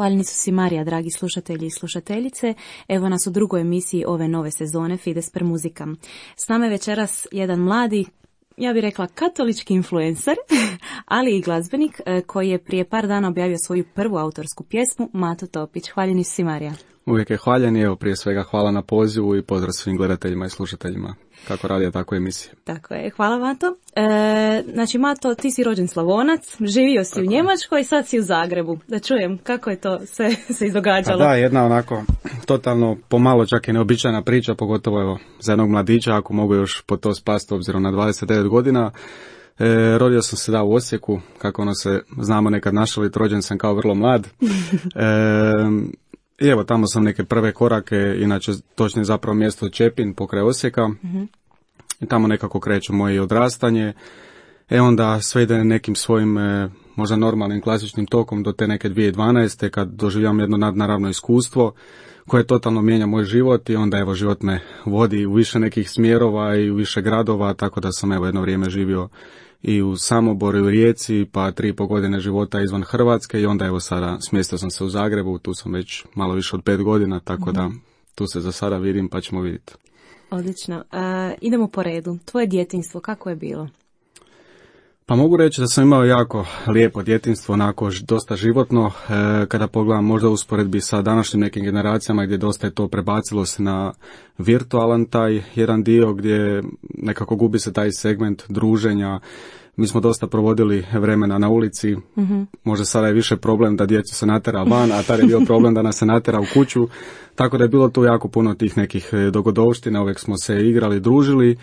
Hvaljeni su si Marija, dragi slušatelji i slušateljice. Evo nas u drugoj emisiji ove nove sezone Fides per Musica. S nama je večeras jedan mladi, ja bih rekla katolički influencer, ali i glazbenik koji je prije par dana objavio svoju prvu autorsku pjesmu, Mato Topić. Hvaljeni su si Marija. Uvijek je hvaljen i evo prije svega hvala na pozivu i pozdrav svim gledateljima i slušateljima. Kako radija, tako emisije. Tako je, hvala Mato. Znači Mato, ti si rođen Slavonac, živio si tako u Njemačkoj i sad si u Zagrebu. Da čujem kako je to sve se izdogađalo. Da, jedna onako totalno pomalo čak i neobičajna priča, pogotovo evo za jednog mladića, ako mogu još po to spasti obzirom na 29 godina. Rodio sam se u Osijeku, kako ono se znamo nekad našaliti, rođen sam kao vrlo mlad. I evo, tamo sam neke prve korake, inače točno je zapravo mjesto Čepin pokraj Osijeka. I tamo nekako kreće moje odrastanje. Onda sve ide nekim svojim možda normalnim klasičnim tokom do te neke 2012. kad doživljam jedno nadnaravno iskustvo koje totalno mijenja moj život i onda evo život me vodi u više nekih smjerova i u više gradova, tako da sam evo jedno vrijeme živio i u Samoboru i u Rijeci, pa 3,5 godine života izvan Hrvatske i onda evo sada smjestio sam se u Zagrebu, tu sam već malo više od 5 godina, tako da tu se za sada vidim pa ćemo vidjeti. Odlično. Idemo po redu. Tvoje djetinjstvo, kako je bilo? Pa mogu reći da sam imao jako lijepo djetinjstvo, onako dosta životno, kada pogledam možda u usporedbi sa današnjim nekim generacijama gdje dosta je to prebacilo se na virtualan taj jedan dio gdje nekako gubi se taj segment druženja. Mi smo dosta provodili vremena na ulici, možda sada je više problem da djecu se natera van, a tada je bio problem da nas se natera u kuću, tako da je bilo tu jako puno tih nekih dogodovština, uvijek smo se igrali, družili.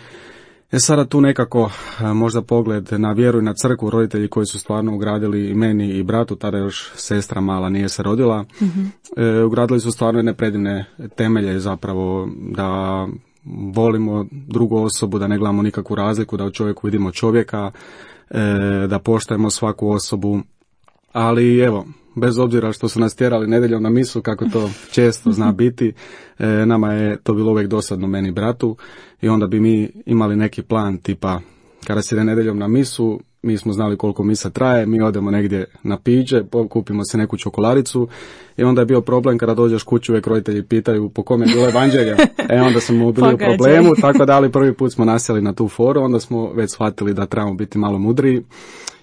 Sada tu nekako možda pogled na vjeru i na crkvu, roditelji koji su stvarno ugradili i meni i bratu, tada još sestra mala nije se rodila, ugradili su stvarno jedne predivne temelje zapravo da volimo drugu osobu, da ne gledamo nikakvu razliku, da u čovjeku vidimo čovjeka, da poštujemo svaku osobu, ali evo, bez obzira što su nas tjerali nedjeljom na misu, kako to često zna biti, nama je to bilo uvijek dosadno meni i bratu i onda bi mi imali neki plan tipa kada se ide nedjeljom na misu, mi smo znali koliko misa traje, mi odemo negdje na piće, kupimo se neku čokoladicu i onda je bio problem kada dođeš kući, uvijek roditelji pitaju po kome je bilo evanđelje, onda smo bili u problemu, tako da ali prvi put smo nasjeli na tu foru, onda smo već shvatili da trebamo biti malo mudriji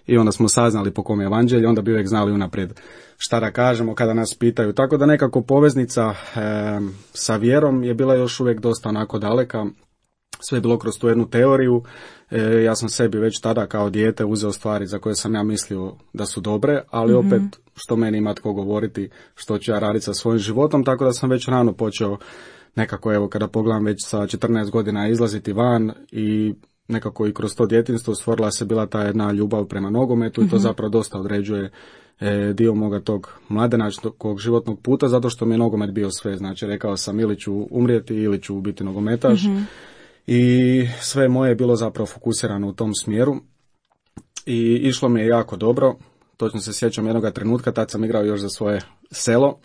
i onda smo saznali po kome je evanđelje, onda bi uvijek znali unaprijed šta da kažemo kada nas pitaju, tako da nekako poveznica sa vjerom je bila još uvijek dosta onako daleka. Sve je bilo kroz tu jednu teoriju, ja sam sebi već tada kao dijete uzeo stvari za koje sam ja mislio da su dobre, ali opet što meni ima tko govoriti što ću ja raditi sa svojim životom, tako da sam već rano počeo nekako, evo kada pogledam već sa 14 godina izlaziti van i nekako i kroz to djetinjstvo stvorila se bila ta jedna ljubav prema nogometu i to zapravo dosta određuje dio moga tog mladenačkog životnog puta, zato što mi je nogomet bio sve, znači rekao sam ili ću umrijeti ili ću biti nogometaš. I sve moje je bilo zapravo fokusirano u tom smjeru i išlo mi je jako dobro. Točno se sjećam jednoga trenutka, tad sam igrao još za svoje selo.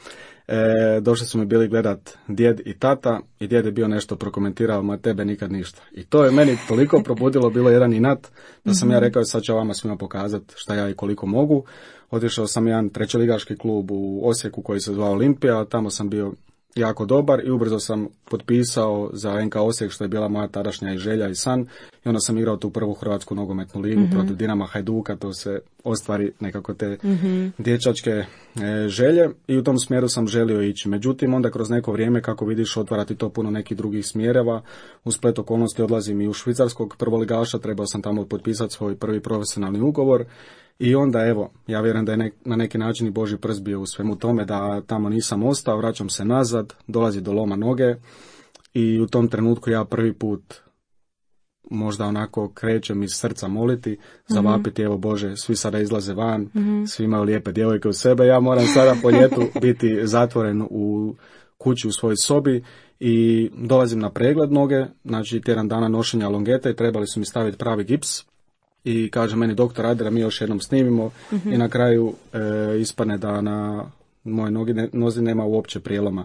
Došli su mi bili gledat djed i tata i djed je bio nešto prokomentirao, ma tebe nikad ništa. I to je meni toliko probudilo, bilo jedan inat, da sam ja rekao sad ću vama svima pokazati šta ja i koliko mogu. Otišao sam jedan trećeligaški klub u Osijeku koji se zvao Olimpija, tamo sam bio jako dobar i ubrzo sam potpisao za NK Osijek, što je bila moja tadašnja i želja i san, i onda sam igrao tu prvu hrvatsku nogometnu ligu protiv Dinama Hajduka, to se ostvari nekako te dječačke želje i u tom smjeru sam želio ići. Međutim, onda kroz neko vrijeme, kako vidiš, otvarati to puno nekih drugih smjereva, u splet okolnosti odlazim i u švicarskog prvoligaša, trebao sam tamo potpisati svoj prvi profesionalni ugovor. I onda evo, ja vjerujem da je na neki način i Božji prst bio u svemu tome, da tamo nisam ostao, vraćam se nazad, dolazi do loma noge i u tom trenutku ja prvi put možda onako krećem iz srca moliti, zavapiti, evo Bože, svi sada izlaze van, svi imaju lijepe djevojke u sebe, ja moram sada po ljetu biti zatvoren u kući u svojoj sobi i dolazim na pregled noge, znači tjedan dana nošenja longeta i trebali su mi staviti pravi gips. I kaže meni doktor, ajde da mi još jednom snimimo i na kraju ispadne da na moje nozi nema uopće prijeloma.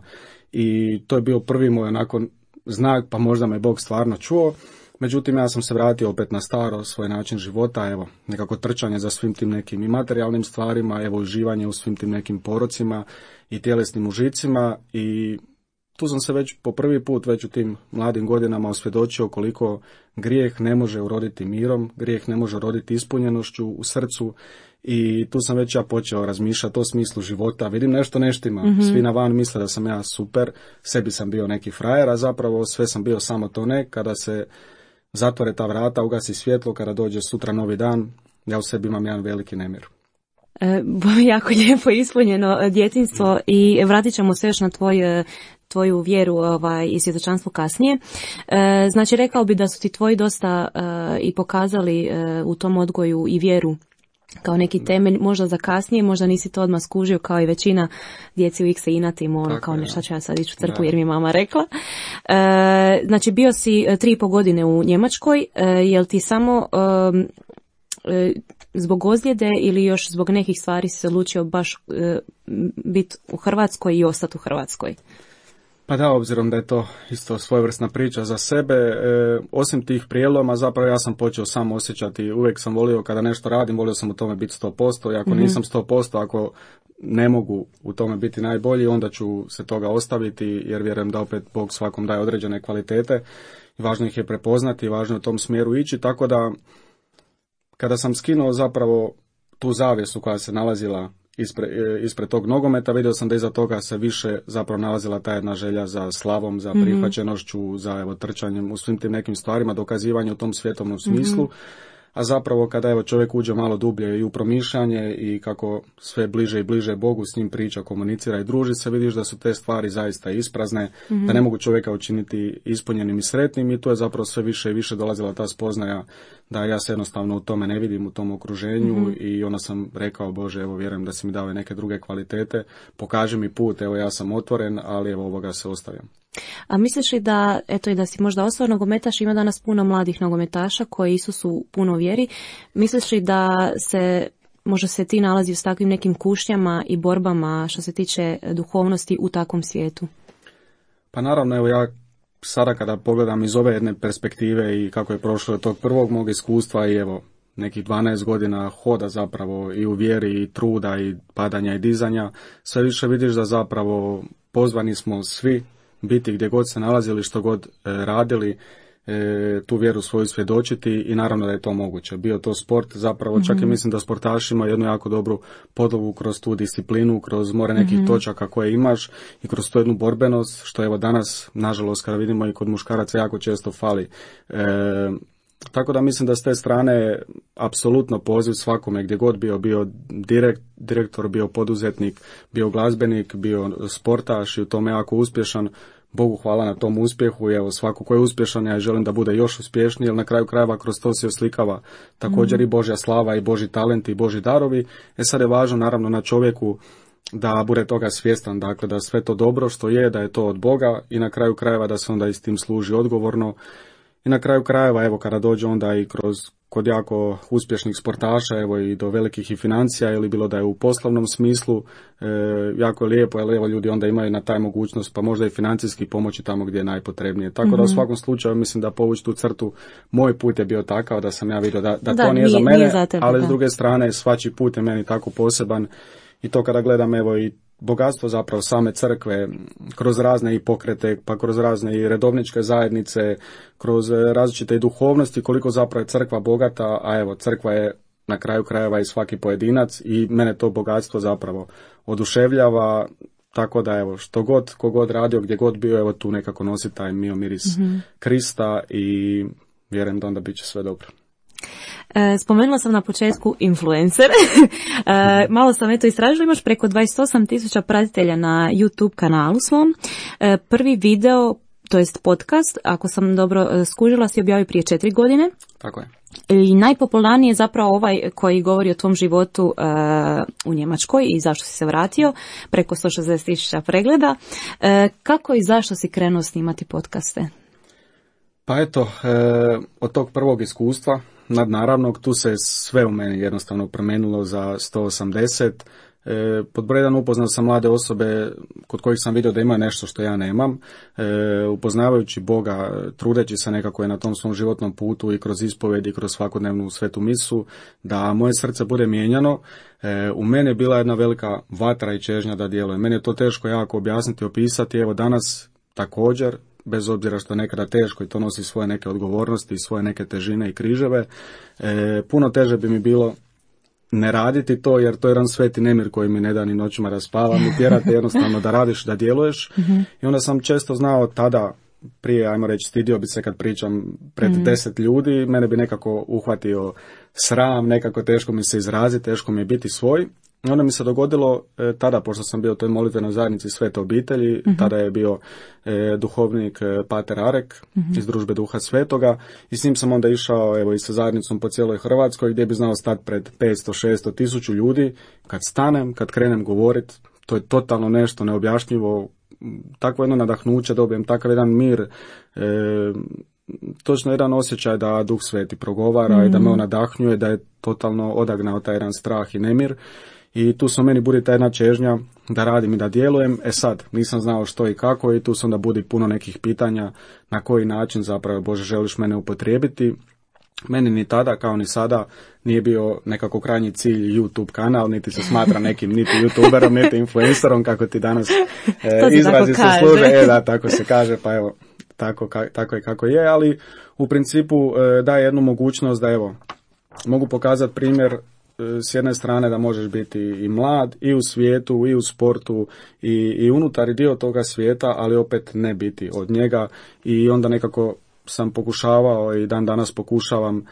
I to je bio prvi moj onako znak, pa možda me Bog stvarno čuo. Međutim, ja sam se vratio opet na staro, svoj način života, evo, nekako trčanje za svim tim nekim i materijalnim stvarima, evo, uživanje u svim tim nekim porocima i tjelesnim užicima i tu sam se već po prvi put već u tim mladim godinama osvjedočio koliko grijeh ne može uroditi mirom, grijeh ne može uroditi ispunjenošću u srcu i tu sam već ja počeo razmišljati o smislu života. Vidim nešto neštima, svi na van misle da sam ja super, sebi sam bio neki frajer, a zapravo sve sam bio samo to ne. Kada se zatvore ta vrata, ugasi svjetlo, kada dođe sutra novi dan, ja u sebi imam jedan veliki nemir. Jako lijepo ispunjeno djetinjstvo i vratit ćemo se još na tvoju vjeru i svjedočanstvo kasnije. Znači, rekao bi da su ti tvoji dosta i pokazali u tom odgoju i vjeru kao neki temelj, možda za kasnije, možda nisi to odmah skužio kao i većina djeci u X inatim, kao nešto ću ja sad ići u crkvu jer mi je mama rekla. Znači, bio si 3,5 godine u Njemačkoj, jel ti samo zbog ozljede ili još zbog nekih stvari si se odlučio baš biti u Hrvatskoj i ostati u Hrvatskoj? Pa da, obzirom da je to isto svojevrsna priča za sebe, osim tih prijeloma, zapravo ja sam počeo sam osjećati, uvijek sam volio kada nešto radim, volio sam u tome biti 100%, i ako nisam 100%, ako ne mogu u tome biti najbolji, onda ću se toga ostaviti, jer vjerujem da opet Bog svakom daje određene kvalitete i važno ih je prepoznati, važno je u tom smjeru ići, tako da kada sam skinuo zapravo tu zavjesu koja se nalazila ispred tog nogometa, vidio sam da iza toga se više zapravo nalazila ta jedna želja za slavom, za prihvaćenošću, za trčanjem u svim tim nekim stvarima, dokazivanje u tom svjetovnom smislu. A zapravo kada čovjek uđe malo dublje i u promišljanje i kako sve bliže i bliže Bogu s njim priča, komunicira i druži se, vidiš da su te stvari zaista isprazne, da ne mogu čovjeka učiniti ispunjenim i sretnim i tu je zapravo sve više i više dolazila ta spoznaja da ja se jednostavno u tome ne vidim, u tom okruženju i onda sam rekao, Bože, evo vjerujem da si mi dao neke druge kvalitete, pokaži mi put, evo ja sam otvoren, ali evo ovoga se ostavljam. A misliš li da, i da si možda ostao nogometaš, ima danas puno mladih nogometaša koji su puno u vjeri, misliš li da možda se ti nalazi s takvim nekim kušnjama i borbama što se tiče duhovnosti u takvom svijetu? Pa naravno, evo ja sada kada pogledam iz ove jedne perspektive i kako je prošlo od tog prvog mog iskustva i evo nekih 12 godina hoda zapravo i u vjeri i truda i padanja i dizanja, sve više vidiš da zapravo pozvani smo svi biti gdje god se nalazili, što god radili, tu vjeru svoju svjedočiti i naravno da je to moguće. Bio to sport, zapravo čak i mislim da sportaš ima jednu jako dobru podlogu kroz tu disciplinu, kroz more nekih točaka koje imaš i kroz tu jednu borbenost, što evo danas, nažalost, kada vidimo i kod muškaraca jako često fali. Tako da mislim da s te strane apsolutno poziv svakome gdje god bio direktor, bio poduzetnik, bio glazbenik, bio sportaš i u tome jako uspješan. Bogu hvala na tom uspjehu i evo svako ko je uspješan ja želim da bude još uspješniji, jer na kraju krajeva kroz to se oslikava također i Božja slava i Božji talent i Božji darovi. Sad je važno naravno na čovjeku da bude toga svjestan, dakle da sve to dobro što je, da je to od Boga i na kraju krajeva da se onda i s tim služi odgovorno. I na kraju krajeva, evo, kada dođe onda i kod jako uspješnih sportaša, evo i do velikih i financija, ili bilo da je u poslovnom smislu, jako je lijepo, jer evo ljudi onda imaju na taj mogućnost, pa možda i financijski pomoći tamo gdje je najpotrebnije. Tako da u svakom slučaju mislim da povući tu crtu, moj put je bio takav da sam ja vidio da to nije za mene, za tebe, ali s druge strane svačiji put je meni tako poseban i to kada gledam evo i bogatstvo zapravo same crkve, kroz razne i pokrete, pa kroz razne i redovničke zajednice, kroz različite i duhovnosti, koliko zapravo je crkva bogata, a evo, crkva je na kraju krajeva i svaki pojedinac i mene to bogatstvo zapravo oduševljava, tako da evo, kogod radio, gdje god bio, evo tu nekako nosi taj miris Krista i vjerujem da onda bit će sve dobro. Spomenula sam na početku influencer. Malo sam istražila, imaš preko 28.000 pratitelja na YouTube kanalu svom. Prvi video, to jest podcast, ako sam dobro skužila, si objavio prije 4 godine. Tako je. I najpopularniji je zapravo ovaj koji govori o tvom životu u Njemačkoj i zašto si se vratio, preko 160.000 pregleda. Kako i zašto si krenuo snimati podcaste? Pa eto, od tog prvog iskustva nadnaravnog, tu se sve u meni jednostavno promijenilo za 180. Pod broj jedan upoznao sam mlade osobe kod kojih sam vidio da imaju nešto što ja nemam, upoznavajući Boga, trudeći se nekako je na tom svom životnom putu i kroz ispovjed i kroz svakodnevnu svetu misu, da moje srce bude mijenjano. U meni je bila jedna velika vatra i čežnja da djelujem. Meni je to teško jako objasniti, opisati. Evo danas također, bez obzira što je nekada teško i to nosi svoje neke odgovornosti, svoje neke težine i križeve, puno teže bi mi bilo ne raditi to, jer to je jedan sveti nemir koji mi ne da ni noćima da spavam i tjerate jednostavno da radiš, da djeluješ. I onda sam često znao tada, prije, ajmo reći, stidio bi se kad pričam pred 10 ljudi, mene bi nekako uhvatio sram, nekako teško mi se izraziti, teško mi je biti svoj. I onda mi se dogodilo tada, pošto sam bio u toj molitvenoj zajednici Svete obitelji, tada je bio duhovnik Pater Arek iz Družbe Duha Svetoga i s njim sam onda išao evo i sa zajednicom po cijeloj Hrvatskoj gdje bi znao stati pred 500, 600, 1000 ljudi. Kad stanem, kad krenem govoriti, to je totalno nešto neobjašnjivo, takvo jedno nadahnuće dobijem, takav jedan mir, točno jedan osjećaj da Duh Sveti progovara i da me on nadahnjuje, da je totalno odagnao taj jedan strah i nemir. I tu se meni budi ta jedna čežnja da radim i da djelujem. Sad, nisam znao što i kako i tu se onda budi puno nekih pitanja na koji način zapravo Bože želiš mene upotrijebiti. Meni ni tada kao ni sada nije bio nekako krajnji cilj YouTube kanal, niti se smatra nekim niti YouTuberom, niti influencerom kako ti danas izrazi se služe. Da, tako se kaže, pa evo, tako je kako je, ali u principu daje jednu mogućnost da evo, mogu pokazati primjer s jedne strane da možeš biti i mlad i u svijetu i u sportu i unutar dio toga svijeta, ali opet ne biti od njega i onda nekako sam pokušavao i dan danas pokušavam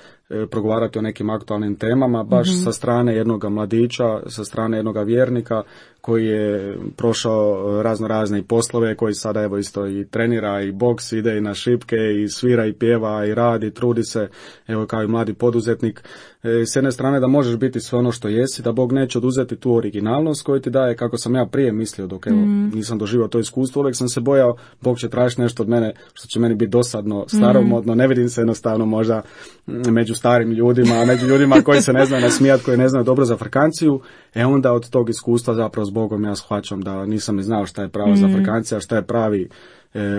progovarati o nekim aktualnim temama, baš sa strane jednog mladića, sa strane jednog vjernika koji je prošao razno razne poslove, koji sada evo isto i trenira i boks, ide i na šipke i svira i pjeva i radi, trudi se, evo kao i mladi poduzetnik. S jedne strane da možeš biti sve ono što jesi, da Bog neće oduzeti tu originalnost koju ti daje, kako sam ja prije mislio dok evo nisam doživio to iskustvo, uvijek sam se bojao Bog će tražiti nešto od mene što će meni biti dosadno, staromodno, ne vidim se jednostavno možda među starim ljudima, među ljudima koji se ne znaju nasmijati, koji ne znaju dobro za frkanciju, onda od tog iskustva zapravo s Bogom ja shvaćam da nisam ni znao šta je prava za frkancija, šta je pravi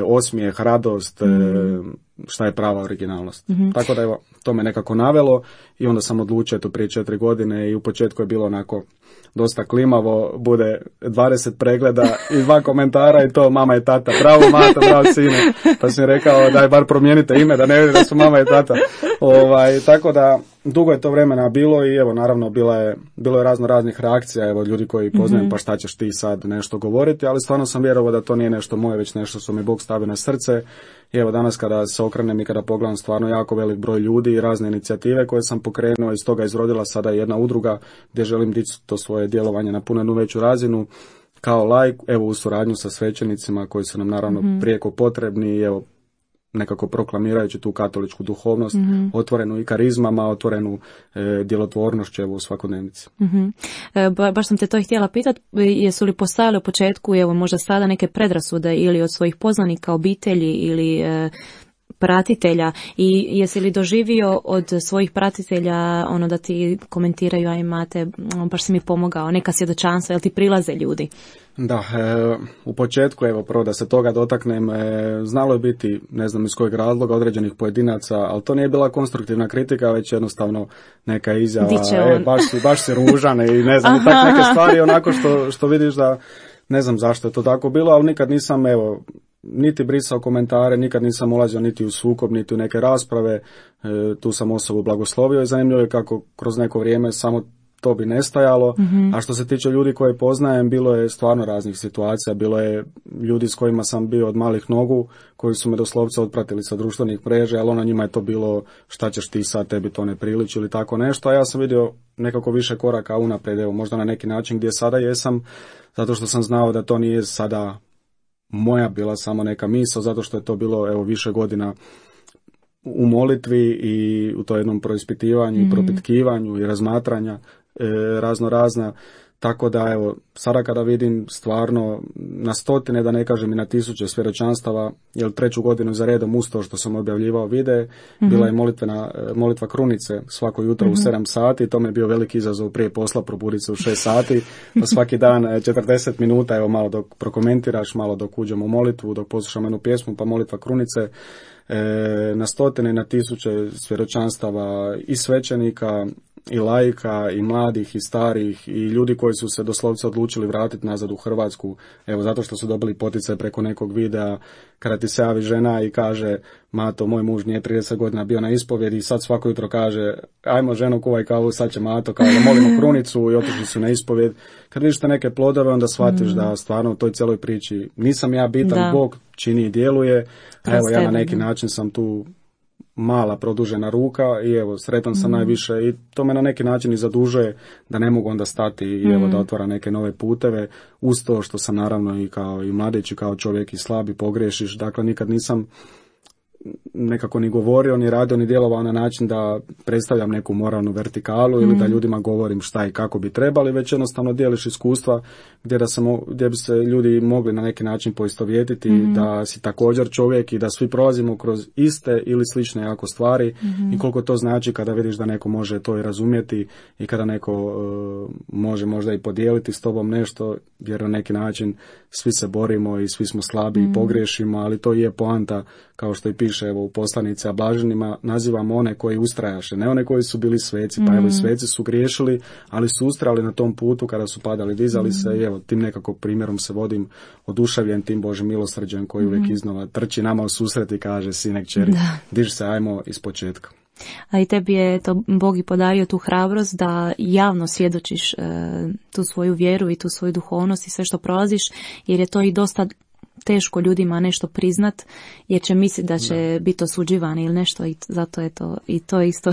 osmijeh, radost, šta je prava originalnost. Tako da evo, to me nekako navelo i onda sam odlučio to prije 4 godine i u početku je bilo onako dosta klimavo, bude 20 pregleda i 2 komentara i to mama i tata, bravo mata, bravo sine, pa sam rekao daj bar promijenite ime da ne vidi da su mama i tata. Tako da dugo je to vremena bilo i evo naravno bilo je razno raznih reakcija, evo ljudi koji poznajem pa šta ćeš ti sad nešto govoriti, ali stvarno sam vjerovao da to nije nešto moje, već nešto što mi Bog stavi na srce. I evo danas kada se okrenem i kada pogledam stvarno jako velik broj ljudi i razne inicijative koje sam pokrenuo, iz toga izrodila sada jedna udruga gdje želim dići to svoje djelovanje na puno veću razinu kao laik, evo u suradnju sa svećenicima koji su nam naravno prijeko potrebni i evo nekako proklamirajući tu katoličku duhovnost, otvorenu i karizmama, otvorenu djelotvornošću evo u svakodnevnici. Baš sam te to htjela pitati, jesu li postojale u početku, evo možda sada neke predrasude ili od svojih poznanika, obitelji ili pratitelja i jesi li doživio od svojih pratitelja ono da ti komentiraju, a imate, baš si mi pomogao, neka svjedočanstva, jel ti prilaze ljudi? Da, u početku, evo prvo da se toga dotaknem, znalo je biti, ne znam iz kojeg razloga, određenih pojedinaca, ali to nije bila konstruktivna kritika, već jednostavno neka izjava, baš si ružan i ne znam, i tak neke stvari onako što vidiš da ne znam zašto je to tako bilo, ali nikad nisam, evo, niti brisao komentare, nikad nisam ulazio niti u sukob, niti u neke rasprave, tu sam osobu blagoslovio i zanimljivo je kako kroz neko vrijeme samo to bi nestajalo, a što se tiče ljudi koje poznajem, bilo je stvarno raznih situacija, bilo je ljudi s kojima sam bio od malih nogu, koji su me doslovce otpratili sa društvenih mreža, ali ono njima je to bilo šta ćeš ti sad, tebi to ne priliči ili tako nešto, a ja sam vidio nekako više koraka unaprijed, evo možda na neki način gdje sada jesam, zato što sam znao da to nije sada moja bila samo neka misao, zato što je to bilo evo više godina u molitvi i u to jednom proispitivanju i propitkivanju i razmatranja razno razna. Tako da, evo, sada kada vidim stvarno na stotine, da ne kažem i na tisuće svjedočanstava, jer 3. godinu za redom uz to što sam objavljivao videe, bila je molitva krunice svako jutro u 7 sati, to mi je bio veliki izazov prije posla probuditi se u 6 sati, pa svaki dan 40 minuta, evo malo dok prokomentiraš, malo dok uđemo u molitvu, dok poslušam jednu pjesmu, pa molitva krunice, na stotine, na tisuće svjedočanstava i svećenika, i laika, i mladih, i starih, i ljudi koji su se doslovce odlučili vratiti nazad u Hrvatsku, evo zato što su dobili poticaj preko nekog videa, kada ti se javi žena i kaže, Mato, moj muž nije 30 godina bio na ispovjedi i sad svako jutro kaže, ajmo ženo kuvaj kavu, sad će Mato, kao da molimo krunicu i otišli su na ispovjed. Kad vidiš te neke plodove, onda shvatiš da stvarno u toj cijeloj priči nisam ja bitan, Bog čini i djeluje, a evo ja na neki način sam tu mala produžena ruka i evo sretan sam najviše i to me na neki način i zadužuje da ne mogu onda stati i evo da otvara neke nove puteve uz to što sam naravno i kao i mladić i kao čovjek i slab i pogriješiš, dakle nikad nisam nekako ni govorio, ni radio, ni djelovao na način da predstavljam neku moralnu vertikalu ili da ljudima govorim šta i kako bi trebali, već jednostavno dijeliš iskustva gdje bi se ljudi mogli na neki način poistovjetiti, da si također čovjek i da svi prolazimo kroz iste ili slične jako stvari i koliko to znači kada vidiš da neko može to i razumjeti i kada neko može možda i podijeliti s tobom nešto, jer na neki način svi se borimo i svi smo slabi i pogriješimo, ali to je poanta, kao što i piše evo u poslanici, a blaženima nazivamo one koji ustrajaše, ne one koji su bili sveci, pa evo i sveci su griješili, ali su ustrajali na tom putu kada su padali, dizali se i evo tim nekako primjerom se vodim, oduševljen tim Božim milosrđem koji uvijek iznova trči nama u susret i kaže, sine, kćeri, diži se, ajmo iz početka. A i tebi je to Bog i podario tu hrabrost da javno svjedočiš tu svoju vjeru i tu svoju duhovnost i sve što prolaziš, jer je to i dosta teško ljudima nešto priznat, jer će misliti da će biti osuđivani ili nešto i zato je to i to isto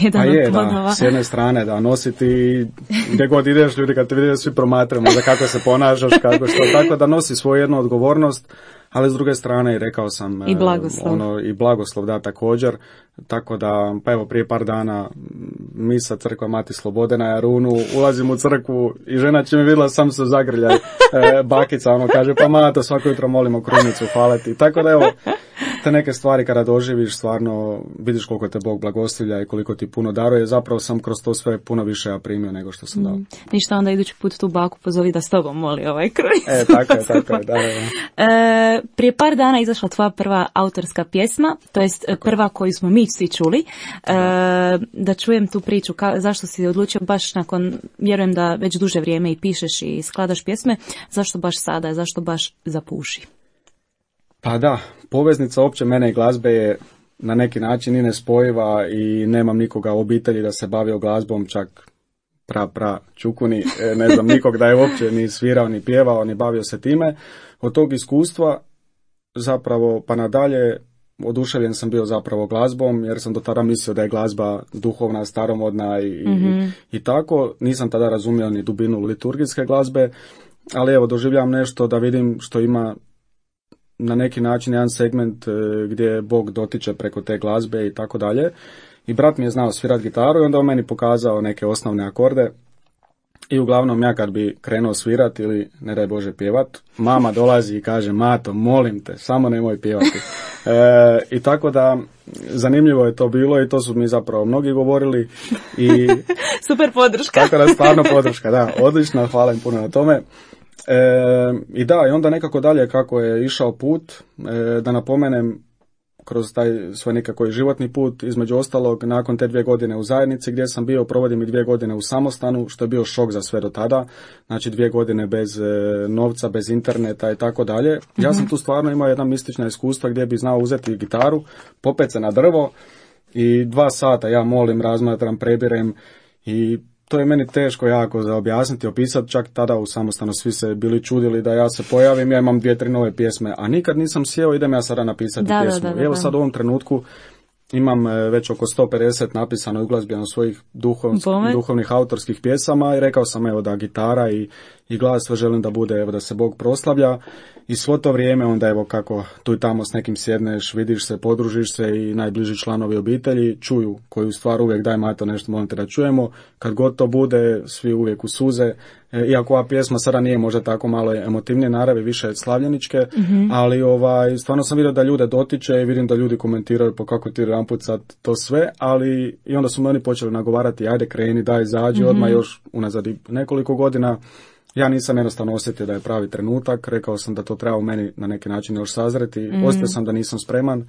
jedan od plodova. S jedne strane da nositi gdje god ideš, ljudi kad te vide svi promatramo za kako se ponašaš, kako što, tako da nosi svoju jednu odgovornost, ali s druge strane i rekao sam i blagoslov. I blagoslov da također, tako da pa evo prije par dana misa crkva Mati Slobode na Jarunu, ulazim u crkvu i žena će me vidjela, sam se zagrljaj, bakica kaže pa Mato svako jutro molimo krunicu, hvala ti, tako da evo te neke stvari kada doživiš stvarno vidiš koliko te Bog blagoslivlja i koliko ti puno daruje, zapravo sam kroz to sve puno više ja primio nego što sam dao. Ništa, onda idući put tu baku pozovi da s tobom moli ovaj krunicu. Tako je, da. Prije par dana izašla tvoja prva autorska pjesma, to jest prva koju smo mi svi čuli. Da čujem tu priču, zašto si odlučio baš nakon, vjerujem da već duže vrijeme i pišeš i skladaš pjesme, zašto baš sada, zašto baš za Puši? Pa da, poveznica opće mene i glazbe je na neki način i nespojiva i nemam nikoga u obitelji da se bavio glazbom, čak čukuni, ne znam nikog da je uopće ni svirao, ni pjevao, ni bavio se time. Od tog iskustva zapravo pa nadalje oduševljen sam bio zapravo glazbom, jer sam do tada mislio da je glazba duhovna, staromodna i tako. Nisam tada razumio ni dubinu liturgijske glazbe, ali evo doživljam nešto da vidim što ima na neki način jedan segment gdje Bog dotiče preko te glazbe i tako dalje. I brat mi je znao svirati gitaru i onda on meni pokazao neke osnovne akorde. I uglavnom ja kad bi krenuo svirati ili ne daj Bože pjevat, mama dolazi i kaže Mato, molim te, samo nemoj pjevati. I tako da zanimljivo je to bilo i to su mi zapravo mnogi govorili. I super podrška. Tako da stvarno podrška, da, odlično, hvala im puno na tome. I da, i onda nekako dalje kako je išao put, da napomenem kroz taj svoj nekako životni put, između ostalog, nakon te 2 godine u zajednici gdje sam bio, provodim i 2 godine u samostanu, što je bio šok za sve do tada, znači 2 godine bez novca, bez interneta i tako dalje. Ja sam tu stvarno imao jedna mistična iskustva gdje bi znao uzeti gitaru, popet se na drvo i 2 sata ja molim, razmatram, prebirem i to je meni teško jako za objasniti, opisati, čak tada u samostanu svi se bili čudili da ja se pojavim, ja imam 2-3 nove pjesme, a nikad nisam sjeo, idem ja sada napisati pjesmu. Evo sad u ovom trenutku imam već oko 150 napisano i uglazbljeno svojih duhovnih autorskih pjesama i rekao sam evo da gitara i glas sve želim da bude, evo da se Bog proslavlja I svo to vrijeme onda evo kako tu i tamo s nekim sjedneš, vidiš se, podružiš se i najbliži članovi obitelji čuju koju stvar uvijek daj Mato nešto molim te da čujemo. Kad god to bude, svi uvijek u suze. Iako ova pjesma sada nije možda tako malo emotivnije naravi, više slavljeničke, ali stvarno sam vidio da ljude dotiče i vidim da ljudi komentiraju po kako ti jedanput sad to sve, ali i onda su me oni počeli nagovarati, ajde kreni, daj izađi, odmah još unazad nekoliko godina. Ja nisam jednostavno osjetio da je pravi trenutak, rekao sam da to treba u meni na neki način još sazreti, osjetio sam da nisam spreman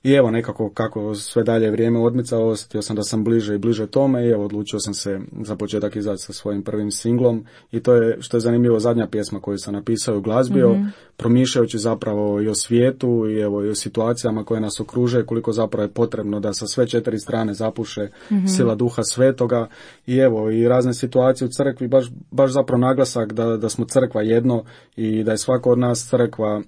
i evo nekako kako sve dalje vrijeme odmicalo, osjetio sam da sam bliže i bliže tome i evo odlučio sam se za početak izaći sa svojim prvim singlom i to je, što je zanimljivo, zadnja pjesma koju sam napisao i uglazbio, promišljajući zapravo i o svijetu i evo i o situacijama koje nas okruže, koliko zapravo je potrebno da sa sve 4 strane zapuše sila duha svetoga i evo i razne situacije u crkvi, baš zapravo naglasak da smo crkva jedno i da je svako od nas crkva.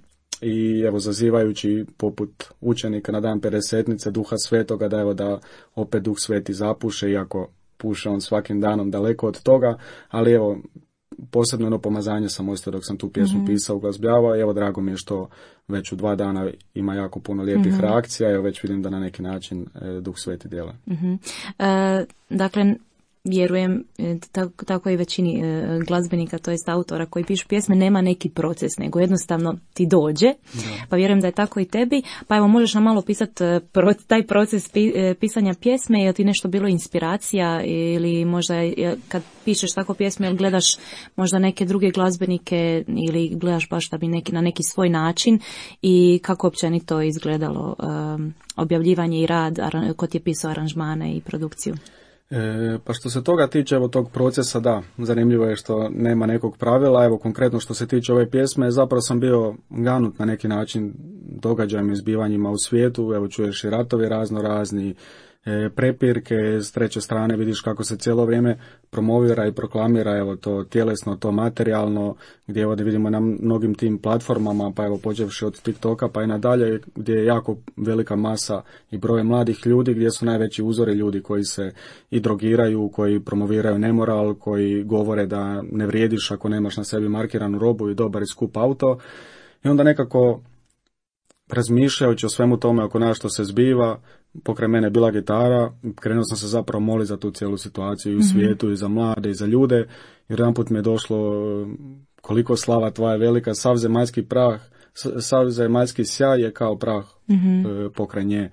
I evo zazivajući poput učenika na dan Pedesetnice duha svetoga da opet duh sveti zapuše, iako puše on svakim danom daleko od toga, ali evo posebno jedno pomazanje sam ostao dok sam tu pjesmu pisao, uglazbljavao i evo drago mi je što već u 2 dana ima jako puno lijepih reakcija i evo već vidim da na neki način duh sveti djeluje. Dakle, vjerujem, tako i većini glazbenika, to jest autora koji pišu pjesme, nema neki proces, nego jednostavno ti dođe, pa vjerujem da je tako i tebi, pa evo možeš nam malo pisati taj proces pisanja pjesme, je li ti nešto bilo inspiracija ili možda kad pišeš tako pjesme, ili gledaš možda neke druge glazbenike ili gledaš baš da bi na neki svoj način i kako općenito izgledalo objavljivanje i rad ko ti je pisao aranžmane i produkciju? Pa što se toga tiče, evo tog procesa, da, zanimljivo je što nema nekog pravila, evo konkretno što se tiče ove pjesme, zapravo sam bio ganut na neki način događajima i zbivanjima u svijetu, evo čuješ i ratovi razno razni, prepirke, s treće strane vidiš kako se cijelo vrijeme promovira i proklamira evo to tjelesno, to materijalno, gdje ovdje vidimo na mnogim tim platformama, pa evo počevši od TikToka pa i nadalje, gdje je jako velika masa i broj mladih ljudi, gdje su najveći uzori ljudi koji se i drogiraju, koji promoviraju nemoral, koji govore da ne vrijediš ako nemaš na sebi markiranu robu i dobar i skup auto. I onda nekako razmišljajući o svemu tome oko nas što se zbiva, pokraj mene je bila gitara, krenuo sam se zapravo moliti za tu cijelu situaciju i u svijetu i za mlade i za ljude, jer jedanput mi je došlo koliko slava tvoja velika, sav zemaljski prah, sav zemaljski sjaj je kao prah pokraj nje,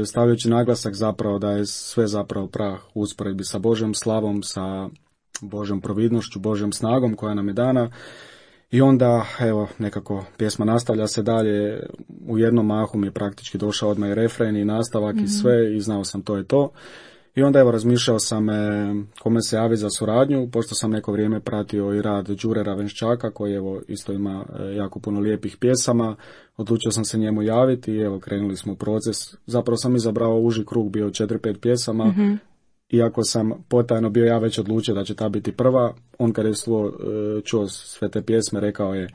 stavljajući naglasak zapravo da je sve zapravo prah u usporedbi sa Božjom slavom, sa Božjom providnošću, Božjom snagom koja nam je dana. I onda, evo, nekako pjesma nastavlja se dalje, u jednom mahu mi je praktički došao odmah i refren i nastavak i sve i znao sam to je to. I onda evo razmišljao sam kome se javi za suradnju, pošto sam neko vrijeme pratio i rad Đure Ravenščaka koji evo isto ima jako puno lijepih pjesama, odlučio sam se njemu javiti i evo krenuli smo u proces. Zapravo sam izabrao uži krug, bio 4-5 pjesama, iako sam potajno bio ja već odlučio da će ta biti prva, on kad je čuo sve te pjesme rekao je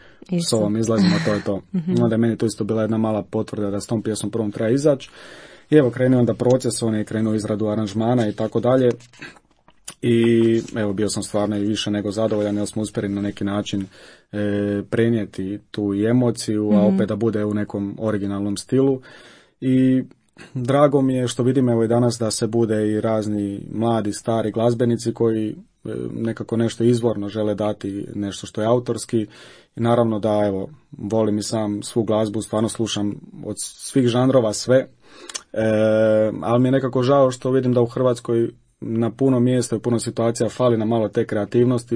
s ovom izlazimo, to je to. Onda je meni to isto bila jedna mala potvrda da s tom pjesmom prvom treba izaći. I evo krenuo onda proces, on je krenuo izradu aranžmana i tako dalje. I evo bio sam stvarno i više nego zadovoljan jer smo uspjeli na neki način prenijeti tu i emociju, a opet da bude u nekom originalnom stilu. I drago mi je što vidim evo i danas da se bude i razni mladi, stari glazbenici koji nekako nešto izvorno žele dati, nešto što je autorski. I naravno da evo volim i sam svu glazbu, stvarno slušam od svih žanrova sve, ali mi je nekako žao što vidim da u Hrvatskoj na puno mjesta i puno situacija fali na malo te kreativnosti,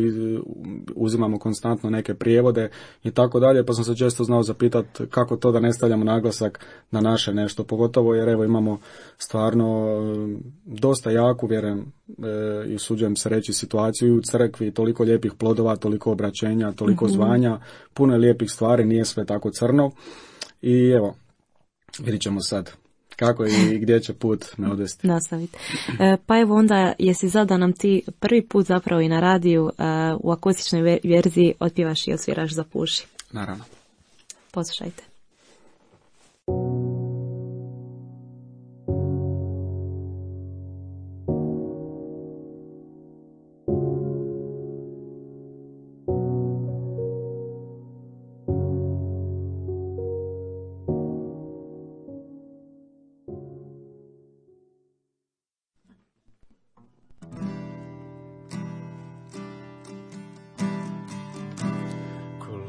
uzimamo konstantno neke prijevode i tako dalje, pa sam se često znao zapitati kako to da ne stavljamo naglasak na naše nešto, pogotovo jer evo imamo stvarno dosta jaku, vjerujem i usuđujem se reći, situaciju u crkvi, toliko lijepih plodova, toliko obraćenja, toliko zvanja, puno je lijepih stvari, nije sve tako crno i evo, vidit ćemo sad kako i gdje će put me odvesti. Nastaviti. Pa evo onda, jesi za da nam ti prvi put zapravo i na radiju u akustičnoj verziji otpjevaš i osviraš Zapuši? Naravno. Poslušajte.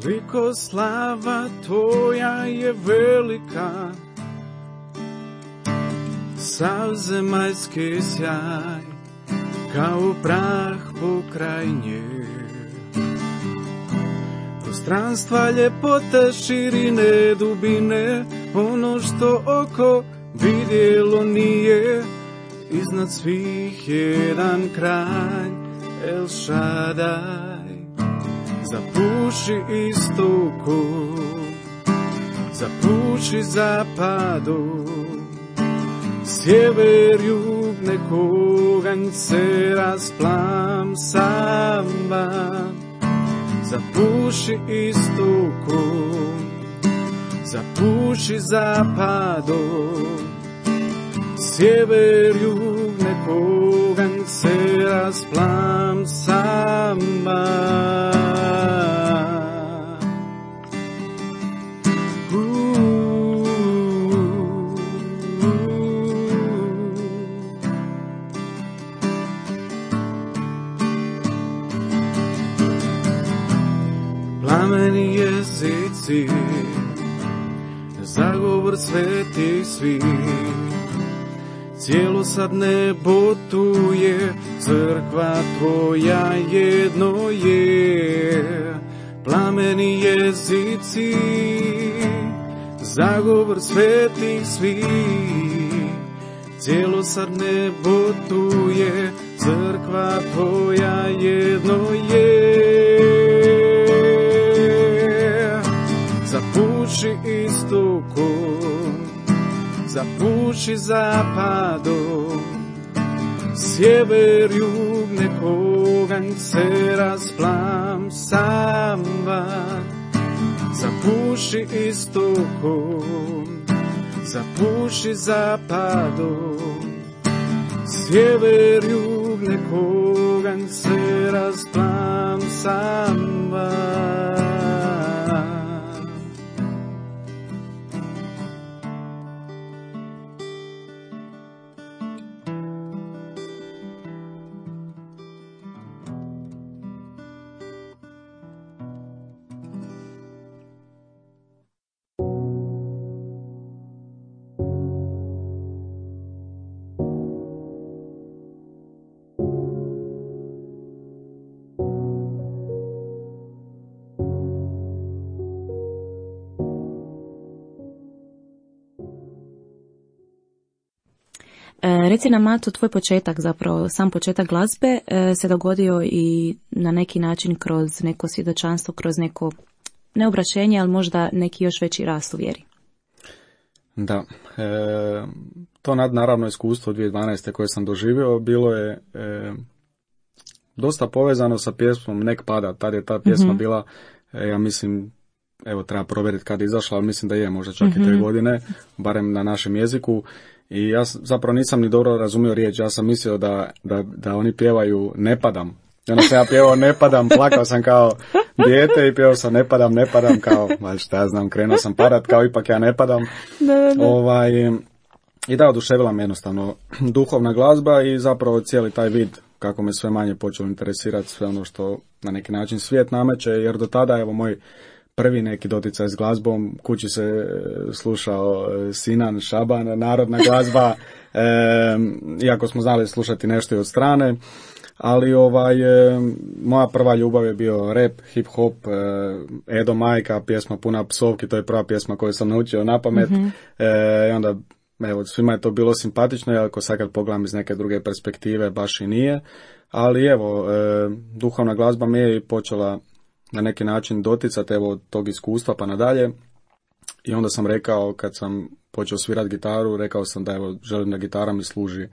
Koliko slava tvoja je velika, sav zemaljski sjaj, kao prah pokraj nje. Prostranstva, ljepota, širine, dubine, ono što oko vidjelo nije, iznad svih jedan kralj, El Shaddai. Zapuši istoku, zapuši zapadu, sjever, jug, nekog se rasplam sama. Zapuši istoku, zapuši zapadu, sjever, jug, nekog se rasplam sama. Plameni jezici, zagovor svetih svih, cijelo sad nebo tu je, crkva tvoja jedno je. Plameni jezici, zagovor svetih svih, cijelo sad nebo tu je, crkva tvoja jedno je. Zapuši istoku, zapuši zapadu, sjever, jug, nekog se rasplam sama. Zapuši istoku, zapuši zapadu, sjever, jug, nekog se rasplam sama. Reci nam, Mato, tvoj početak, zapravo sam početak glazbe se dogodio i na neki način kroz neko svjedočanstvo, kroz neko neobraćenje, ali možda neki još veći rast u vjeri. Da, to naravno iskustvo 2012. koje sam doživio bilo je dosta povezano sa pjesmom Nek pada. Tad je ta pjesma bila, ja mislim, evo treba provjeriti kad je izašla, ali mislim da je možda čak i 3 godine, barem na našem jeziku. I ja zapravo nisam ni dobro razumio riječ, ja sam mislio da oni pjevaju ne padam. I onda sam ja pjevao ne padam, plakao sam kao dijete i pjevao sam ne padam, kao, šta ja znam, krenuo sam padat, kao ipak ja ne padam. I da, oduševila me jednostavno duhovna glazba i zapravo cijeli taj vid, kako me sve manje počelo interesirati sve ono što na neki način svijet nameće, jer do tada, evo, moj prvi neki doticaj s glazbom, kući se slušao Sinan, Šaban, narodna glazba, iako smo znali slušati nešto i od strane, ali moja prva ljubav je bio rap, hip hop, Edo Majka, pjesma puna psovki, to je prva pjesma koju sam naučio na pamet, i onda, evo, svima je to bilo simpatično, iako sad kad pogledam iz neke druge perspektive, baš i nije, ali evo, duhovna glazba mi je počela na neki način doticati, evo, od tog iskustva pa nadalje. I onda sam rekao, kad sam počeo svirati gitaru, rekao sam da, evo, želim da gitara mi služi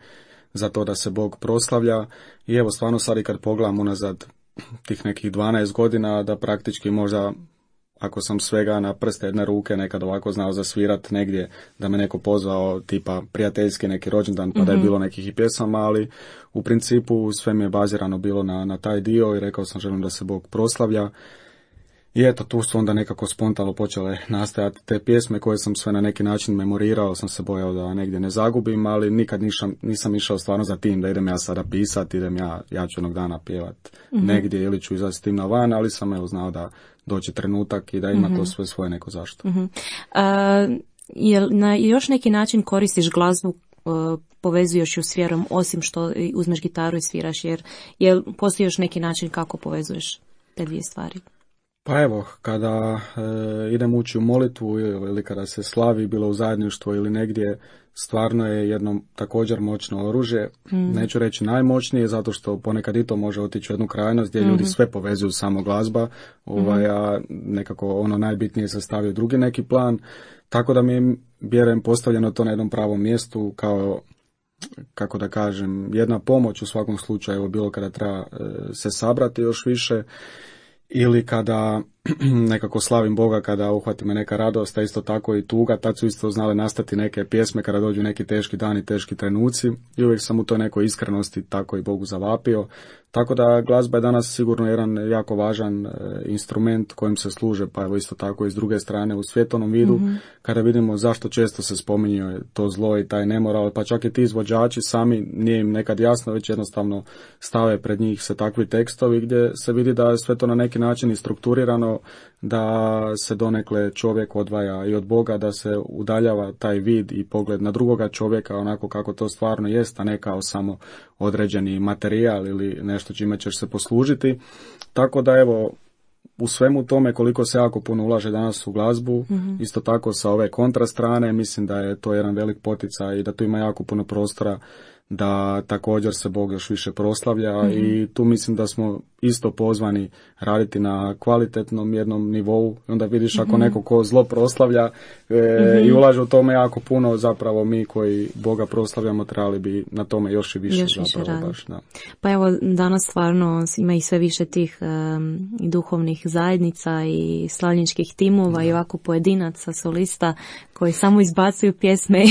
za to da se Bog proslavlja. I evo, stvarno sad i kad pogledam unazad tih nekih 12 godina, da praktički možda, ako sam svega na prste jedne ruke nekad ovako znao zasvirat negdje, da me neko pozvao tipa prijateljski neki rođendan, pa da je bilo nekih i pjesama, ali u principu sve mi je bazirano bilo na taj dio i rekao sam želim da se Bog proslavlja. I eto, tu su onda nekako spontano počele nastajati te pjesme koje sam sve na neki način memorirao, sam se bojao da negdje ne zagubim, ali nikad nisam išao stvarno za tim da idem ja sada pisati, ja ću jednog dana pjevat negdje ili ću izaći s tim na van, ali sam evo znao da doći trenutak i da ima to sve svoje neko zašto. Jel na još neki način koristiš glazbu, povezuješ ju s vjerom, osim što uzmeš gitaru i sviraš, jer postoji još neki način kako povezuješ te dvije stvari? Pa evo, kada idem ući u molitvu ili kada se slavi, bilo u zajedništvo ili negdje, stvarno je jedno također moćno oružje. Neću reći najmoćnije, zato što ponekad i to može otići u jednu krajnost gdje ljudi sve povezuju samo glazba, a nekako ono najbitnije se stavi u drugi neki plan. Tako da mi je, vjerujem, postavljeno to na jednom pravom mjestu kao, kako da kažem, jedna pomoć u svakom slučaju, bilo kada treba se sabrati još više ili kada nekako slavim Boga, kada uhvati me neka radost, a isto tako i tuga. Tad su isto znale nastati neke pjesme kada dođu neki teški dani, teški trenuci i uvijek sam u toj nekoj iskrenosti tako i Bogu zavapio. Tako da glazba je danas sigurno jedan jako važan instrument kojim se služe, pa evo isto tako i s druge strane u svjetovnom vidu, kada vidimo zašto često se spominje to zlo i taj nemoral, pa čak i ti izvođači sami nije im nekad jasno, već jednostavno stave pred njih se takvi tekstovi gdje se vidi da je sve to na neki način i strukturirano, da se donekle čovjek odvaja i od Boga, da se udaljava taj vid i pogled na drugoga čovjeka onako kako to stvarno jest, a ne kao samo određeni materijal ili nešto čime ćeš se poslužiti. Tako da evo, u svemu tome koliko se jako puno ulaže danas u glazbu, isto tako sa ove kontra strane, mislim da je to jedan velik poticaj i da tu ima jako puno prostora da također se Bog još više proslavlja i tu mislim da smo isto pozvani raditi na kvalitetnom jednom nivou. Onda vidiš ako neko ko zlo proslavlja i ulaže u tome jako puno, zapravo mi koji Boga proslavljamo trebali bi na tome još i više zapravo baš. Da. Pa evo, danas stvarno ima i sve više tih i duhovnih zajednica i slavljeničkih timova i ovako pojedinaca, solista koji samo izbacuju pjesme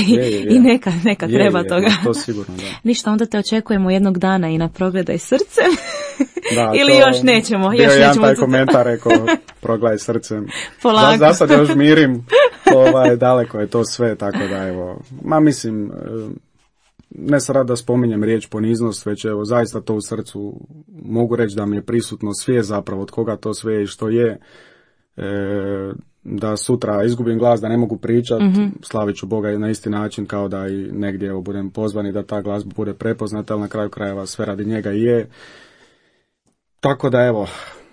i neka treba toga. To sigurno, da. Ništa, onda te očekujemo jednog dana i na Progledaj srcem. Da, ili još nećemo. Bio je jedan taj komentar, rekao, Progledaj srcem. Polako. Za sad još mirim, daleko je to sve, tako da evo, mislim, ne sad da spominjem riječ poniznost, već evo, zaista to u srcu mogu reći da mi je prisutno svijest zapravo od koga to sve je i što je, da sutra izgubim glas, da ne mogu pričati, slavit ću Boga na isti način kao da i negdje budem pozvani da ta glazba bude prepoznata, ali na kraju krajeva sve radi njega i je. Tako da evo,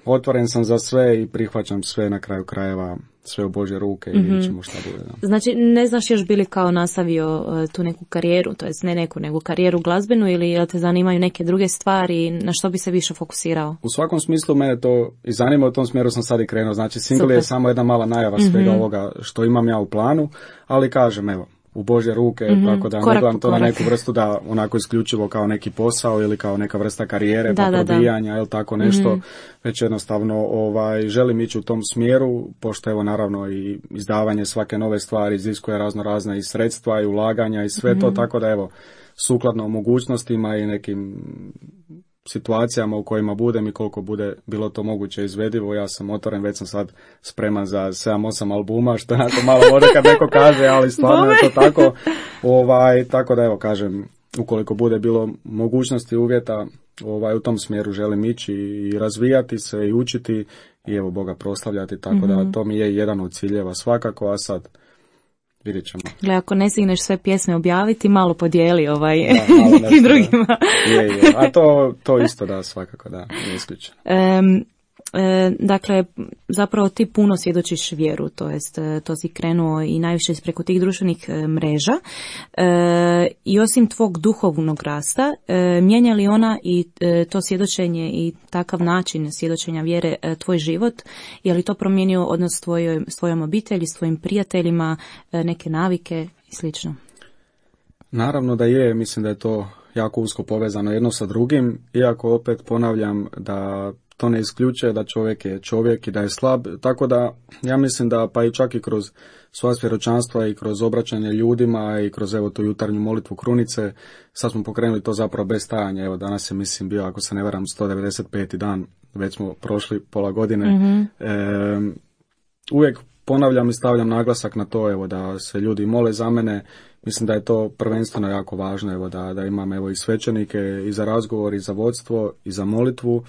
otvoren sam za sve i prihvaćam sve na kraju krajeva, sve u Božje ruke i vidjet ćemo šta bude. Da. Znači, ne znaš još bili kao nastavio tu neku karijeru, to jest ne neku, nego karijeru glazbenu, ili jel te zanimaju neke druge stvari, na što bi se više fokusirao? U svakom smislu mene to i zanima, u tom smjeru sam sad i krenuo. Znači, single je samo jedna mala najava svega ovoga što imam ja u planu, ali kažem, evo, u Božje ruke, tako da ne gledam to na neku vrstu da onako isključivo kao neki posao ili kao neka vrsta karijere, probijanja ili tako nešto, već jednostavno želim ići u tom smjeru, pošto evo naravno i izdavanje svake nove stvari iziskuje razna i sredstva i ulaganja i sve to, tako da evo, sukladno mogućnostima i nekim situacijama u kojima budem i koliko bude bilo to moguće izvedivo, ja sam otvoren, već sam sad spreman za 7-8 albuma, što onako malo može kad neko kaže, ali stvarno je to tako. Tako da evo kažem, ukoliko bude bilo mogućnosti, uvjeta, u tom smjeru želim ići i razvijati se i učiti i evo Boga proslavljati, tako da to mi je jedan od ciljeva svakako, a sad vidjet ćemo. Gle, ako ne stigneš sve pjesme objaviti, malo podijeli nekim drugima. Je. A to isto da, svakako da, nije isključeno. Dakle, zapravo ti puno svjedočiš vjeru, to jest to si krenuo i najviše preko tih društvenih mreža i osim tvog duhovnog rasta, mijenja li ona i to svjedočenje i takav način svjedočenja vjere tvoj život? Je li to promijenio odnos s tvojom obitelji, s tvojim prijateljima, neke navike i slično? Naravno da je, mislim da je to jako usko povezano jedno sa drugim, iako opet ponavljam da to ne isključuje da čovjek je čovjek i da je slab, tako da ja mislim da pa i čak i kroz sva svjedočanstva i kroz obraćanje ljudima i kroz evo tu jutarnju molitvu krunice, sad smo pokrenuli to zapravo bez stajanja, evo danas je mislim bio, ako se ne varam, 195. dan već smo prošli pola godine. Uvijek ponavljam i stavljam naglasak na to, evo, da se ljudi mole za mene. Mislim da je to prvenstveno jako važno, evo, da imam, evo, i svećenike i za razgovor, i za vodstvo, i za molitvu,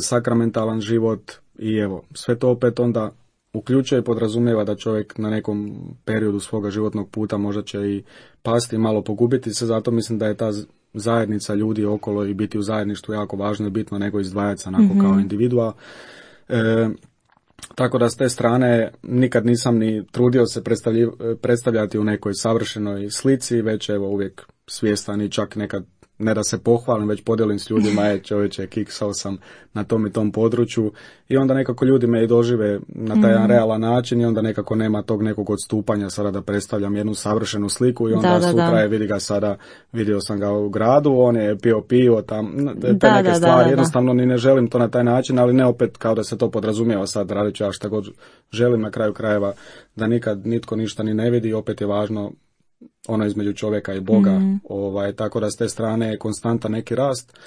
sakramentalan život, i evo, sve to opet onda uključuje i podrazumijeva da čovjek na nekom periodu svoga životnog puta možda će i pasti, malo pogubiti se, zato mislim da je ta zajednica ljudi okolo i biti u zajedništvu jako važno i bitno nego izdvajati se onako kao individua. Tako da s te strane nikad nisam ni trudio se predstavljati u nekoj savršenoj slici, već evo uvijek svjestan i čak nekad ne da se pohvalim, već podijelim s ljudima, čovječe, kiksao sam na tom i tom području, i onda nekako ljudi me i dožive na taj realan način, i onda nekako nema tog nekog odstupanja sada da predstavljam jednu savršenu sliku, i onda sutra je, vidi ga sada, vidio sam ga u gradu, on je pio tam, te neke stvari, jednostavno ni ne želim to na taj način, ali ne opet kao da se to podrazumijeva sad, radit ću ja šta god želim, na kraju krajeva da nikad nitko ništa ni ne vidi, opet je važno ono između čovjeka i Boga, tako da s te strane je konstantan neki rast,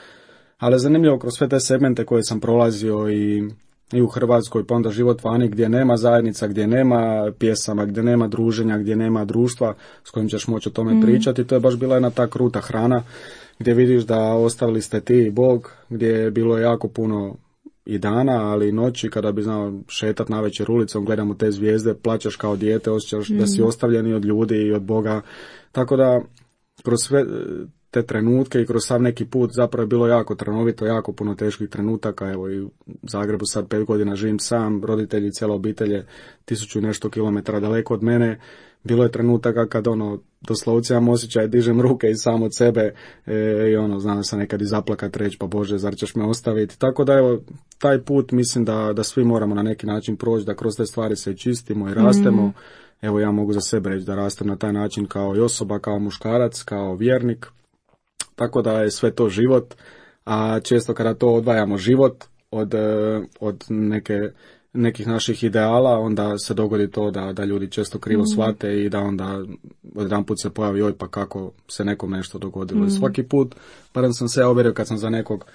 ali zanimljivo kroz sve te segmente koje sam prolazio i u Hrvatskoj, pa onda život vani gdje nema zajednica, gdje nema pjesama, gdje nema druženja, gdje nema društva s kojim ćeš moći o tome pričati, to je baš bila jedna ta kruta hrana gdje vidiš da ostavili ste ti i Bog, gdje je bilo jako puno i dana, ali i noći kada bi znao šetat navečer ulicom, gledamo te zvijezde, plaćaš kao dijete, osjećaš da si ostavljeni od ljudi i od Boga. Tako da kroz sve te trenutke i kroz sav neki put zapravo je bilo jako trnovito, jako puno teških trenutaka. Evo i u Zagrebu sad 5 godina živim sam, roditelji, cijela obitelj je 1000 i nešto kilometara daleko od mene. Bilo je trenutaka kad doslovce imam osjećaj, dižem ruke i sam od sebe i znam se nekad i zaplakat, reći pa Bože, zar ćeš me ostaviti. Tako da evo, taj put mislim da svi moramo na neki način proći, da kroz te stvari se čistimo i rastemo. Evo ja mogu za sebe reći da rastem na taj način kao i osoba, kao muškarac, kao vjernik. Tako da je sve to život, a često kada to odvajamo život od nekih naših ideala, onda se dogodi to da ljudi često krivo shvate i da onda odjedanput se pojavi joj pa kako se nekom nešto dogodilo. I svaki put, barem sam se ja uvjerio kad sam za nekog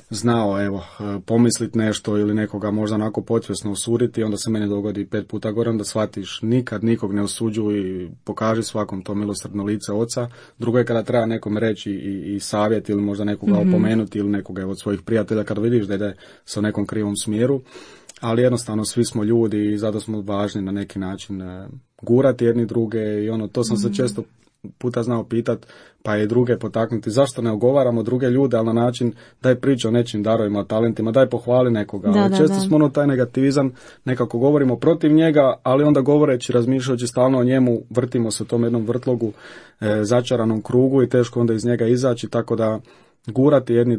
znao, evo, pomislit nešto ili nekoga možda onako podsvjesno osuditi, onda se meni dogodi 5 puta gore, onda shvatiš nikad nikog ne osuđuj i pokaži svakom to milosrdno lice oca. Drugo je kada treba nekom reći i savjet ili možda nekoga opomenuti ili nekoga od svojih prijatelja kada vidiš da ide sa u nekom krivom smjeru. Ali jednostavno svi smo ljudi i zato smo važni na neki način gurati jedni druge i to sam se često puta znao pitat, pa i druge potaknuti, zašto ne ogovaramo druge ljude, ali na način daj priča o nečim darovima, o talentima, daj pohvali nekoga. Često smo taj negativizam, nekako govorimo protiv njega, ali onda govoreći, razmišljajući stalno o njemu, vrtimo se u tom jednom vrtlogu, začaranom krugu i teško onda iz njega izaći, tako da gurati jedni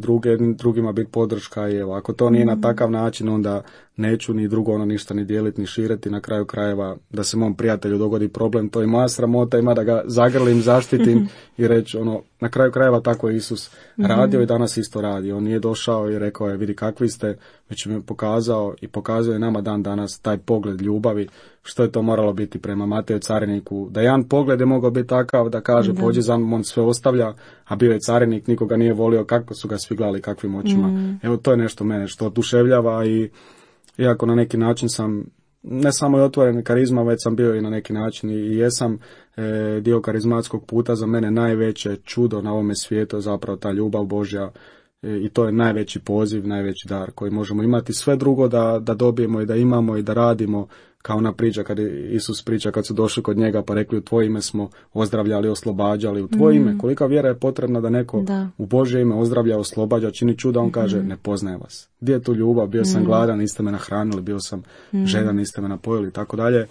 drugima biti podrška i evo, ako to nije na takav način, onda neću ni drugo ništa ni dijeliti, ni širiti, na kraju krajeva da se mom prijatelju dogodi problem, to je moja sramota, ima da ga zagrlim, zaštitim i reći na kraju krajeva tako je Isus radio i danas isto radi. On nije došao i rekao je vidi kakvi ste, već mi pokazao i pokazuje nama dan danas taj pogled ljubavi, što je to moralo biti prema Mateju cariniku, da jedan pogled je mogao biti takav da kaže pođi za mnom, on sve ostavlja, a bio je carinik, nikoga nije volio, kako su ga svi gledali, kakvim očima. Evo to je nešto mene što oduševljava i iako na neki način sam ne samo je otvoren karizma, već sam bio i na neki način i jesam dio karizmatskog puta, za mene najveće čudo na ovome svijetu je zapravo ta ljubav Božja i to je najveći poziv, najveći dar koji možemo imati. Sve drugo da dobijemo i da imamo i da radimo, kao ona priča kad Isus priča kad su došli kod njega pa rekli u tvoje ime smo ozdravljali, oslobađali, u tvoje ime. Kolika vjera je potrebna da neko u Božje ime ozdravlja, oslobađa, čini čuda, on kaže ne poznaje vas. Gdje je tu ljubav? Bio sam gladan, niste me nahranili, bio sam žedan, niste me napojili, tako dalje.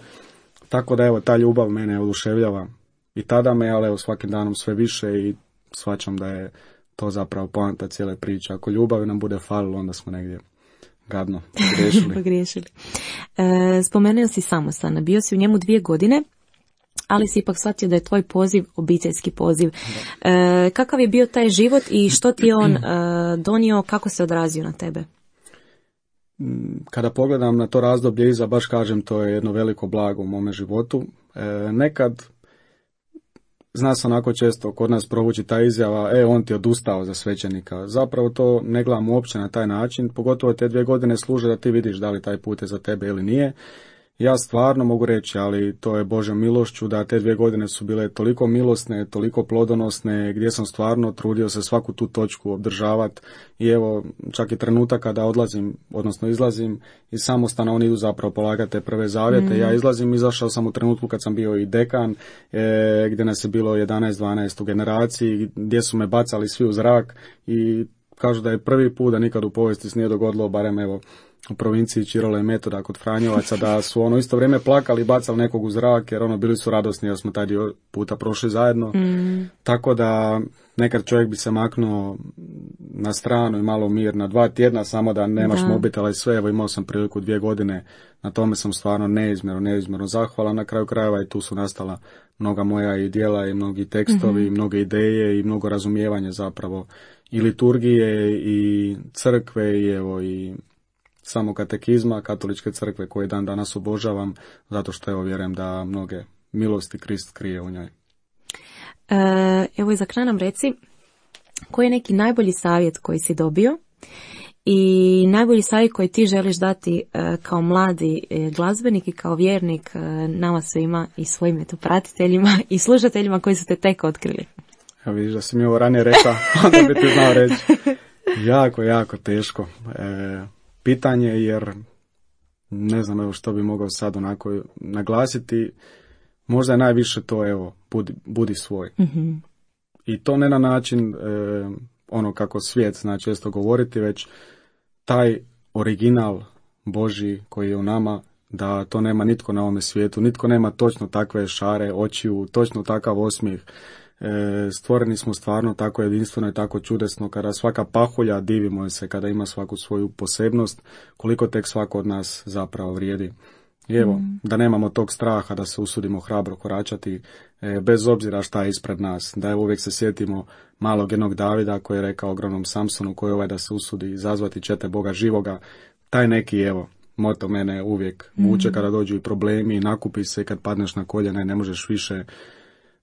Tako da evo, ta ljubav mene oduševljava i tada me, ali evo svakim danom sve više i shvaćam da je to zapravo poanta cijele priče. Ako ljubavi nam bude falilo, onda smo negdje gadno pogriješili. Spomenuo si samostan, bio si u njemu 2 godine, ali si ipak shvatio da je tvoj poziv obiteljski poziv. Kakav je bio taj život i što ti je on donio, kako se odrazio na tebe? Kada pogledam na to razdoblje iza, baš kažem, to je jedno veliko blago u mome životu. Nekad zna se onako često kod nas provući ta izjava, on ti odustao za svećenika. Zapravo to ne gledam uopće na taj način, pogotovo te 2 godine služe da ti vidiš da li taj put je za tebe ili nije. Ja stvarno mogu reći, ali to je Božjom milošću, da te 2 godine su bile toliko milosne, toliko plodonosne, gdje sam stvarno trudio se svaku tu točku obdržavati. I evo, čak i trenutak kada odlazim, odnosno izlazim, i samostana oni idu zapravo polagati te prve zavjete. Ja izašao sam u trenutku kad sam bio i dekan, gdje nas je bilo 11-12 u generaciji, gdje su me bacali svi u zrak i kažu da je prvi put da nikad u povijesti se nije dogodilo, barem evo, u provinciji Čirola i Metoda kod Franjevaca, da su isto vrijeme plakali i bacali nekog u zrak, jer bili su radosni jer smo taj dio puta prošli zajedno. Tako da nekad čovjek bi se maknuo na stranu i malo mir na 2 tjedna, samo da nemaš mobitela i sve. Evo, imao sam priliku 2 godine, na tome sam stvarno neizmjerno zahvalan. Na kraju krajeva i tu su nastala mnoga moja i djela i mnogi tekstovi, i mnoge ideje i mnogo razumijevanja zapravo i liturgije i crkve i evo i samo katekizma katoličke crkve koje dan danas obožavam, zato što evo vjerujem da mnoge milosti Krist krije u njoj. Evo i za kraj nam reci, koji je neki najbolji savjet koji si dobio i najbolji savjet koji ti želiš dati kao mladi glazbenik i kao vjernik nama svima i svojim pratiteljima i slušateljima koji su te tek otkrili? Ja vidiš da si mi ovo ranije rekla, onda bi ti znao reći. Jako teško pitanje, jer ne znam evo što bi mogao sad onako naglasiti. Možda je najviše to evo, budi svoj. I to ne na način kako svijet zna često govoriti, već taj original Božji koji je u nama, da to nema nitko na ovome svijetu, nitko nema točno takve šare, očiju, točno takav osmijeh. Stvoreni smo stvarno tako jedinstveno i tako čudesno, kada svaka pahulja, divimo se kada ima svaku svoju posebnost, koliko tek svako od nas zapravo vrijedi. I evo, da nemamo tog straha, da se usudimo hrabro koračati, bez obzira šta je ispred nas, da uvijek se sjetimo malog jednog Davida koji je rekao ogromnom Samsonu, koji je da se usudi izazvati ćete Boga živoga. Taj neki, evo, moto mene uvijek vuče kada dođu i problemi, nakupi se, kad padneš na koljena i ne možeš više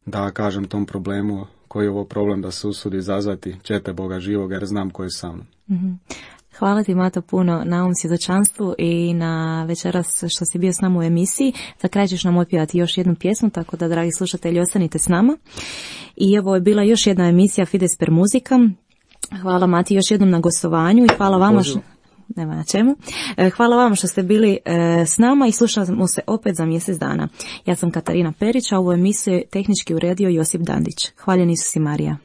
da kažem tom problemu koji je ovo problem, da se usudi izazvati ćete Boga živoga, jer znam koji je sam. Hvala ti, Mato, puno na ovom svjedočanstvu i na večeras što si bio s nama u emisiji. Za kraj ćeš nam otpjevati još jednu pjesmu, tako da, dragi slušatelji, ostanite s nama. I evo je bila još jedna emisija Fides per muzika. Hvala, Mati, još jednom na gostovanju i hvala vama nema na čemu. Hvala vam što ste bili s nama i slušamo se opet za mjesec dana. Ja sam Katarina Perić, a ovu emisiju tehnički uredio Josip Dandić. Hvaljen Isus i Marija.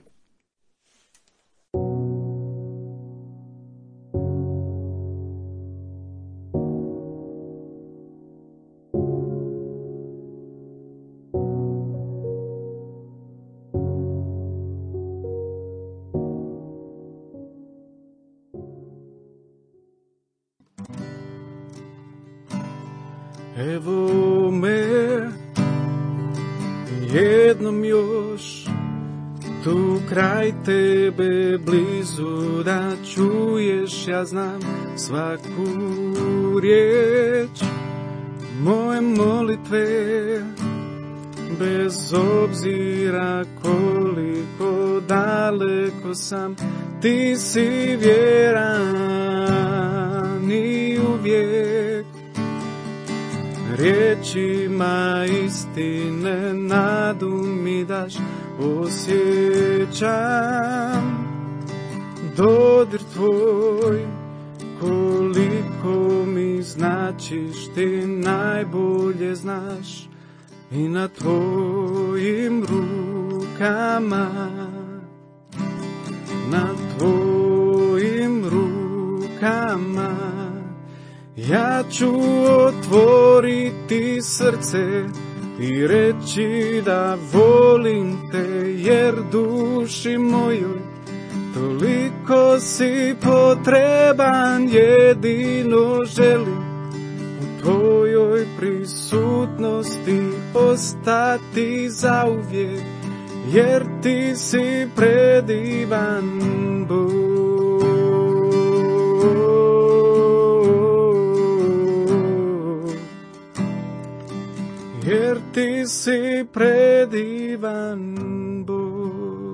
Evo me jednom još tu kraj tebe blizu, da čuješ, ja znam, svaku riječ moje molitve, bez obzira koliko daleko sam, ti si vjeran i uvijek riječima istine nadu mi daš. Osjećam dodir tvoj, koliko mi značiš, ti najbolje znaš, i na tvojim rukama, na tvojim rukama ja ću otvoriti srce i reći da volim te, jer duši mojoj toliko si potreban, jedino želim u tvojoj prisutnosti ostati zauvijek, jer ti si predivan Bog. Jer ti si predivan Bog.